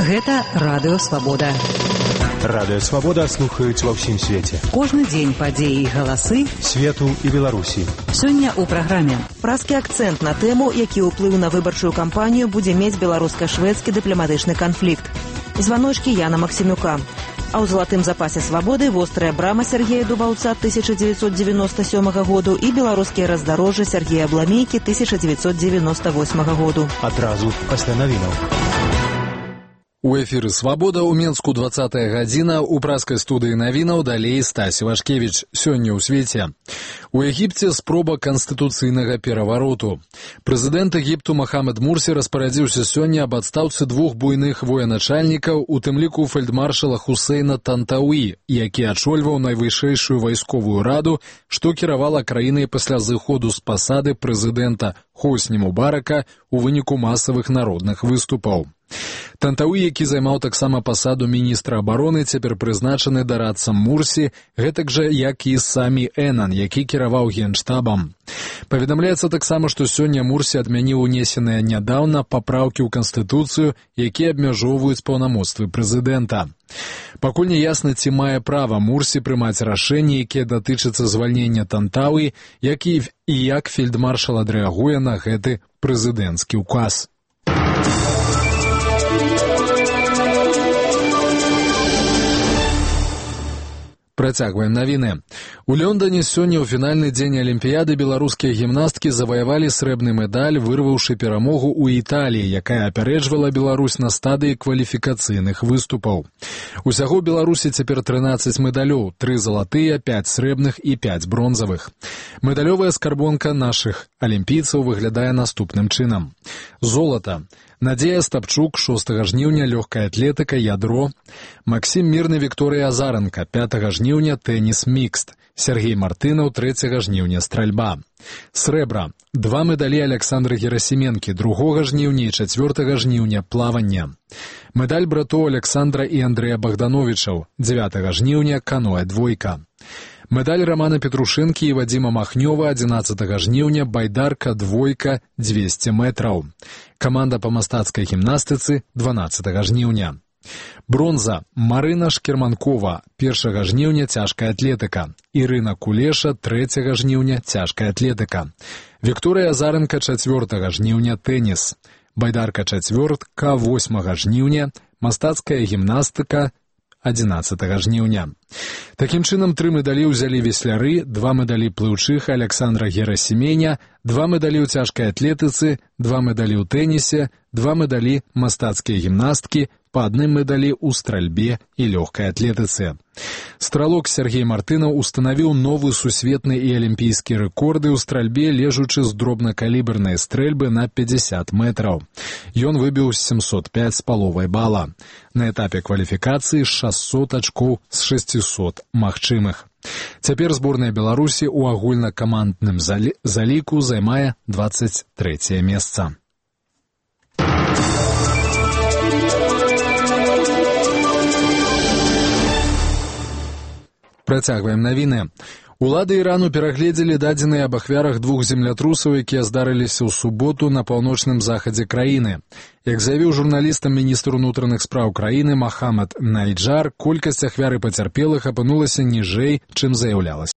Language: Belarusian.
Гэта Радыё Свабода. Радыё Свабода слухаюць ва ўсім свеце. Кожны дзень падзеі і галасы свету і Беларусі. Сёння ў праграме. Празкі акцэнт на тэму, які ўплыў на выбарчую кампанію будзе мець беларуска-шведскі дыпламатычны канфлікт. Званочкі Яна Максімюка. А ў залатым запасе свабоды вострая брама Сергея Дубаўца 1997 году і беларускія раздарожжы Сергея Бламейкі 1998 году. Адразу пасля навінаў. У эфіры «Свабода» ў Менску 20-я гадзіна, у празкай студыі навінаў далей Стась Вашкевіч. Сёння ў свеце. У Егіпце спроба канстытуцыйнага перавароту. Прэзідэнт Егіпту Махамед Мурсі распарадзіўся сёння аб адстаўцы двух буйных военачальнікаў, у тым ліку фельдмаршала Хусейна Тантауі, які ачольваў найвышэйшую вайсковую раду, што кіравала краінай пасля зыходу з пасады прэзідэнта Хосні Мубарака у выніку масавых народных выступаў. Тантауі, які займаў таксама пасаду міністра абароны, цяпер прызначаны дарадцам Мурсі, гэтак жа, як і самі Энан, які кіраваў генштабам. Паведамляецца таксама, што сёння Мурсі адмяніў унесеныя нядаўна папраўкі ў Канстытуцыю, якія абмяжоўваюць паўнамоцтвы прэзідэнта. Пакуль не ясна, ці мае права Мурсі прымаць рашэнні, якія датычацца звальнення Тантауі, як і як фельдмаршал адрэагуе на гэты прэзідэнцкі ўказ. Працягваем навіны. У Лондоне сёння ў фінальны дзень Алімпіяды беларускія гімнасткі заваявалі срэбны медаль, вырваўшы перамогу ў Італіі, якая апярэджвала Беларусь на стадыі кваліфікацыйных выступаў. Усяго Беларусі цяпер 13 медалёў, 3 залатыя, 5 срэбных і 5 бронзавых. Медалёвая скарбонка нашых алімпійцаў выглядае наступным чынам. Золата. Надзея Стапчук, 6 жніўня, лёгкая атлетыка, ядро. Максім Мірны, Вікторыя Азаранка, 5 жніўня, тэніс мікст. Сергей Мартынаў, 3 жніўня, стральба. Срэбра. 2 медалі Александра Герасименкі, 2 жніўня і 4 жніўня, плаванне. Медаль братоў Александра і Андрэя Богдановічаў, 9 жніўня, каноэ двойка. Медаль Романа Петрушэнкі і Вадзіма Махнёва, 11 жніўня, байдарка, двойка, 200 метраў. Каманда па мастацкай гімнастыцы, 12 жніўня. Бронза. Марына Шкерманкова, 1 жніўня, цяжкая атлетыка. Ірына Кулеша, 3 жніўня, цяжкая атлетыка. Вікторыя Азаранка, 4 жніўня, тэніс. Байдарка чацвёртка, 8 жніўня, мастацкая гімнастыка, 11 жніўня. Такім чынам, 3 медалі ўзялі весляры, 2 медалі плыўчых Александра Герасименя, 2 медалі ў цяжкай атлетыцы, 2 медалі ў тэнісе, 2 медалі мастацкія гімнасткі, па 1 медалі ў стральбе і лёгкай атлетыцы. Стралок Сергей Мартынаў устанавіў новы сусветны і алімпійскі рэкорды ў стральбе, лежучы з дробнакалібернай стрэльбы на 50 метраў. Ён выбіў 705 з паловай бала. На этапе кваліфікацыі 600 ачкоў з 600 магчымых. Цяпер зборная Беларусі ў агульнакамандным заліку займае 23е месца. Працягваем навіны. Улады Ірану перагледзелі дадзеныя аб ахвярах 2 землятрусаў, якія здарыліся ў суботу на паўночным захадзе краіны. Як заявіў журналістам міністр унутраных спраў краіны Махамад Найджар, колькасць ахвяр і пацярпелых апынулася ніжэй, чым заяўлялася.